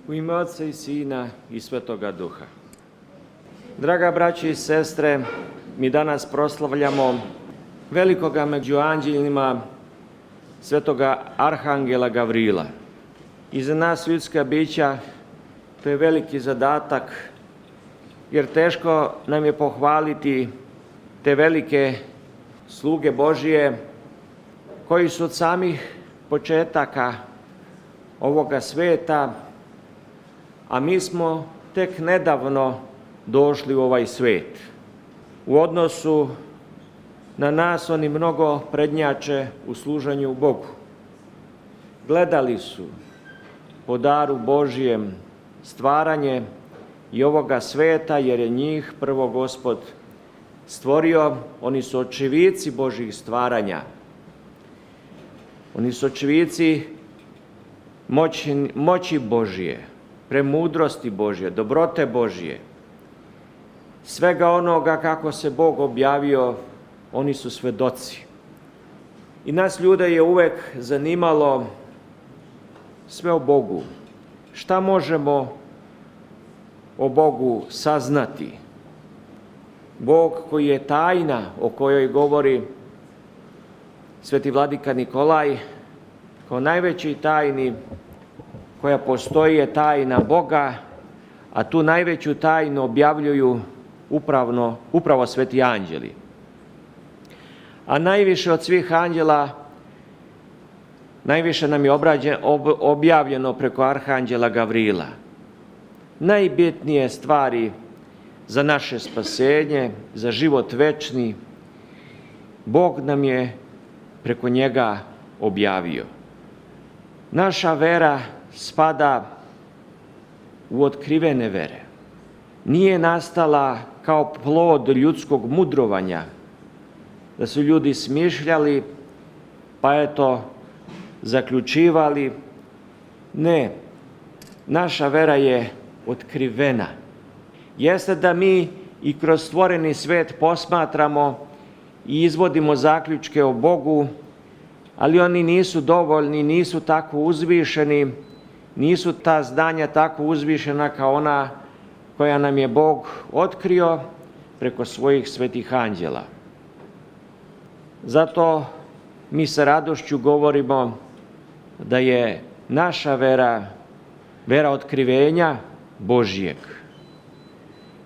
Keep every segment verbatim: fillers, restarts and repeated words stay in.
U ime Otca i Sina i Svetoga Duha. Draga braće i sestre, mi danas proslavljamo velikoga među anđelima, svetoga arhangela Gavrila. I za nas ljudska bića to je veliki zadatak, jer teško nam je pohvaliti te velike sluge Božije koji su od samih početaka ovoga sveta, a mi smo tek nedavno došli u ovaj svet. U odnosu na nas oni mnogo prednjače u služenju Bogu. Gledali su po daru Božijem stvaranje i ovoga sveta, jer je njih prvo Gospod stvorio. Oni su očevici Božjih stvaranja. Oni su očevici moći, moći Božije, premudrosti Božje, dobrote Božje. Svega onoga kako se Bog objavio, oni su svedoci. I nas ljude je uvek zanimalo sve o Bogu. Šta možemo o Bogu saznati? Bog koji je tajna, o kojoj govori sveti vladika Nikolaj, kao najveći tajni koja postoji je tajna Boga, a tu najveću tajnu objavljuju upravno, upravo sveti anđeli. A najviše od svih anđela, najviše nam je obrađen, ob, objavljeno preko arhanđela Gavrila. Najbitnije stvari za naše spasenje, za život večni, Bog nam je preko njega objavio. Naša vera spada u otkrivene vere. Nije nastala kao plod ljudskog mudrovanja, da su ljudi smišljali, pa eto, zaključivali. Ne, naša vera je otkrivena. Jeste da mi i kroz stvoreni svet posmatramo i izvodimo zaključke o Bogu, ali oni nisu dovoljni, nisu tako uzvišeni, nisu ta znanja tako uzvišena kao ona koja nam je Bog otkrio preko svojih svetih anđela. Zato mi sa radošću govorimo da je naša vera vera otkrivenja Božijeg.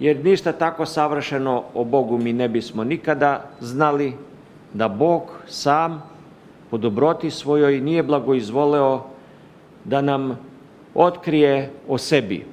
Jer ništa tako savršeno o Bogu mi ne bismo nikada znali, da Bog sam po dobroti svojoj nije blagoizvoleo da nam otkrije o sebi.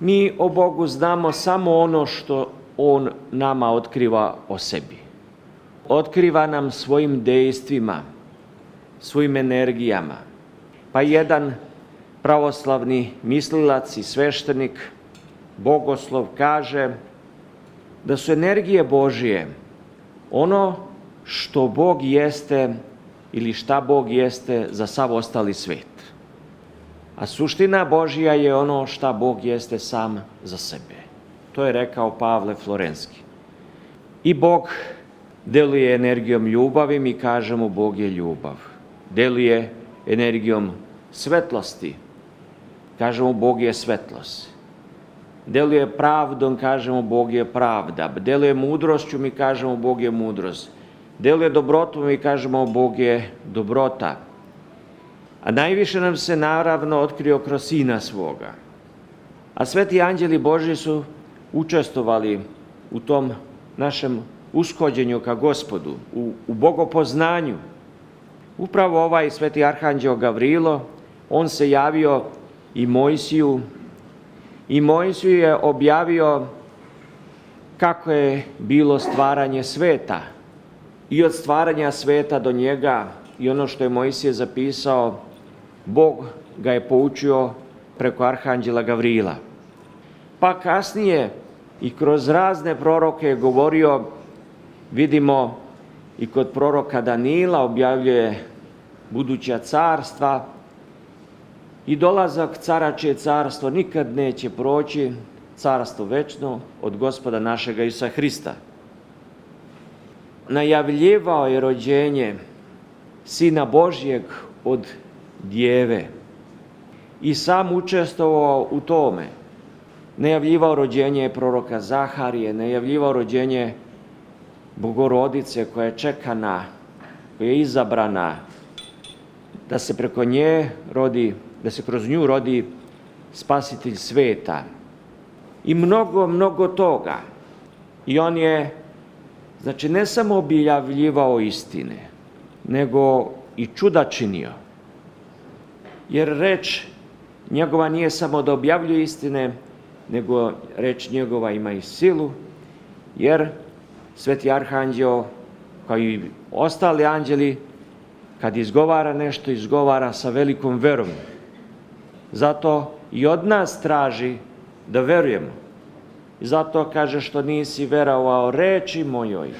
Mi o Bogu znamo samo ono što On nama otkriva o sebi. Otkriva nam svojim dejstvima, svojim energijama. Pa jedan pravoslavni mislilac i sveštenik, bogoslov, kaže da su energije Božije ono što Bog jeste ili šta Bog jeste za sav ostali svet. A suština Božija je ono šta Bog jeste sam za sebe. To je rekao Pavle Florenski. I Bog deluje energijom ljubavi, mi kažemo Bog je ljubav. Deluje energijom svetlosti, kažemo Bog je svetlost. Deluje pravdom, kažemo Bog je pravda. Deluje mudrošću, mi kažemo Bog je mudrost. Deluje dobrotom, mi kažemo Bog je dobrota. A najviše nam se naravno otkrio kroz Sina svoga. A sveti anđeli Božji su učestvovali u tom našem ushođenju ka Gospodu, u, u bogopoznanju. Upravo ovaj sveti arhanđeo Gavrilo, on se javio i Mojsiju, i Mojsiju je objavio kako je bilo stvaranje sveta. I od stvaranja sveta do njega, i ono što je Mojsije zapisao, Bog ga je poučio preko arhanđela Gavrila. Pa kasnije i kroz razne proroke je govorio, vidimo i kod proroka Danila objavljuje buduća carstva i dolazak cara čije carstvo nikad neće proći, carstvo večno od Gospoda našega Isusa Hrista. Najavljivao je rođenje Sina Božjeg od djeve. i sam učestvovao u tome. Najavljivao rođenje proroka Zaharije, najavljivao rođenje Bogorodice koja je čekana, koja je izabrana, da se preko nje rodi, da se kroz nju rodi spasitelj sveta. I mnogo, mnogo toga. I on je, znači, ne samo objavljivao istine, nego i čuda činio. Jer reč njegova nije samo da objavljuje istine, nego reč njegova ima i silu, jer Sveti Arhanđeo, kao i ostali anđeli, kad izgovara nešto, izgovara sa velikom verom. Zato i od nas traži da verujemo. I zato kaže što nisi verovao reči mojoj,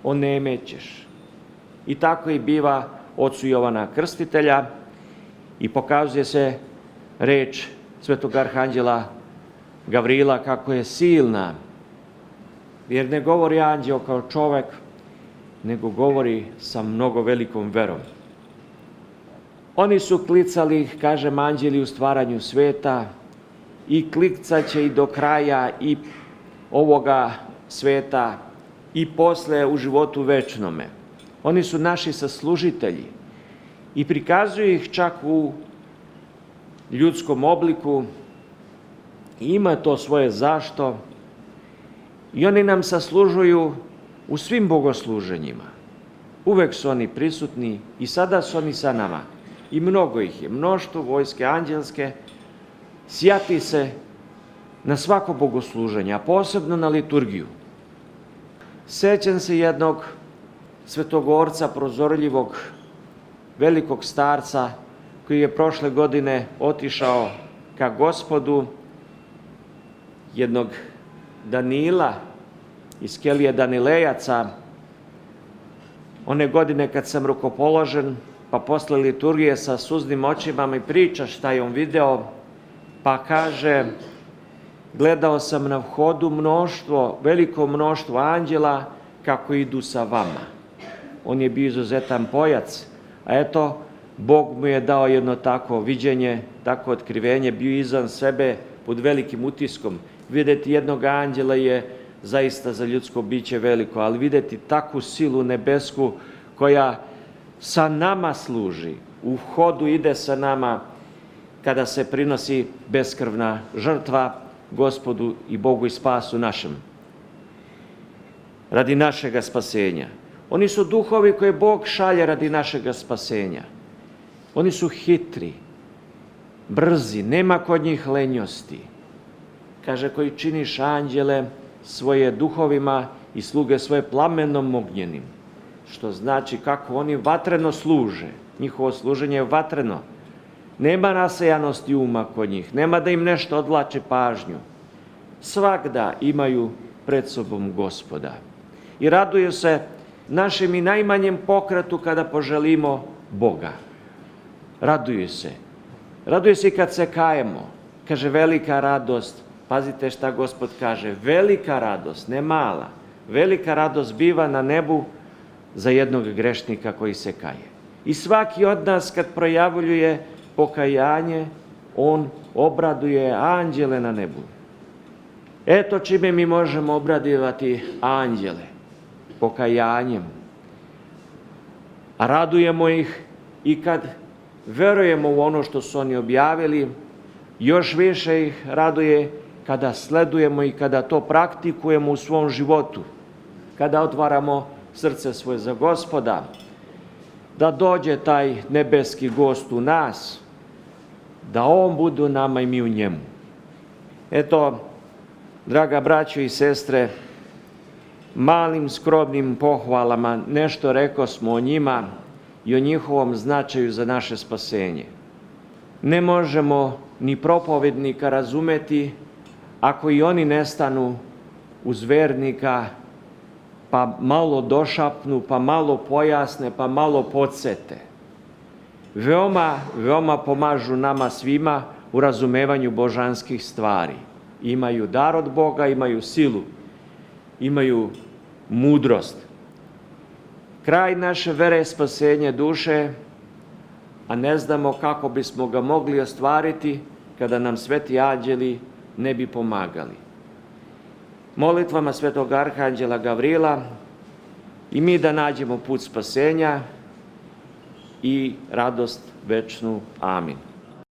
onemećeš. I tako i biva ocu Jovana Krstitelja i pokazuje se reč Svetog Arhanđela Gavrila kako je silna, jer ne govori anđeo kao čovek, nego govori sa mnogo velikom verom. Oni su klicali, kažem, anđeli u stvaranju sveta i klicaće i do kraja i ovoga sveta i posle u životu večnome. Oni su naši saslužitelji i prikazuju ih čak u ljudskom obliku. Ima to svoje zašto i oni nam saslužuju u svim bogosluženjima. Uvek su oni prisutni i sada su oni sa nama. I mnogo ih je, mnoštvo vojske anđelske sjati se na svako bogosluženje, a posebno na liturgiju. Sećam se jednog svetogorca, prozorljivog, velikog starca, koji je prošle godine otišao ka Gospodu, jednog Danila iz kelije Danilejaca, one godine kad sam rukopoložen, pa posle liturgije sa suznim očima mi priča šta je on video, pa kaže, gledao sam na vhodu mnoštvo, veliko mnoštvo anđela kako idu sa vama. On je bio izuzetan pojac, a eto, Bog mu je dao jedno tako viđenje, tako otkrivenje, bio izvan sebe pod velikim utiskom. Videti jednog anđela je zaista za ljudsko biće veliko, ali videti takvu silu nebesku koja sa nama služi, u hodu ide sa nama kada se prinosi beskrvna žrtva Gospodu i Bogu i spasu našem, radi našega spasenja. Oni su duhovi koje Bog šalje radi našega spasenja. Oni su hitri, brzi, nema kod njih lenjosti. Kaže, koji činiš anđele svoje duhovima i sluge svoje plamenom ognjenim. Što znači kako oni vatreno služe. Njihovo služenje je vatreno. Nema rasejanosti uma kod njih, nema da im nešto odvlači pažnju. Svagda imaju pred sobom Gospoda. I raduju se našem i najmanjem pokretu kada poželimo Boga. Raduju se. Raduju se i kad se kajemo. Kaže, velika radost. Pazite šta Gospod kaže. Velika radost, ne mala. Velika radost biva na nebu za jednog grešnika koji se kaje. I svaki od nas kad projavljuje pokajanje, on obraduje anđele na nebu. Eto čime mi možemo obradivati anđele. Pokajanjem. A radujemo ih i kad verujemo u ono što su oni objavili, još više ih raduje kada sledujemo i kada to praktikujemo u svom životu, kada otvaramo srce svoje za Gospoda, da dođe taj nebeski gost u nas, da on bude u nama i mi u njemu. Eto, draga braćo i sestre, malim skromnim pohvalama nešto rekao smo o njima i o njihovom značaju za naše spasenje. Ne možemo ni propovednika razumeti ako i oni nestanu uz vernika, pa malo došapnu, pa malo pojasne, pa malo podsete. Veoma, veoma pomažu nama svima u razumevanju božanskih stvari. Imaju dar od Boga, imaju silu, imaju mudrost. Kraj naše vere je spasenje duše a ne znamo kako bismo ga mogli ostvariti kada nam sveti anđeli ne bi pomagali. Molitvama svetog arhanđela Gavrila i mi da nađemo put spasenja i radost večnu. Amin.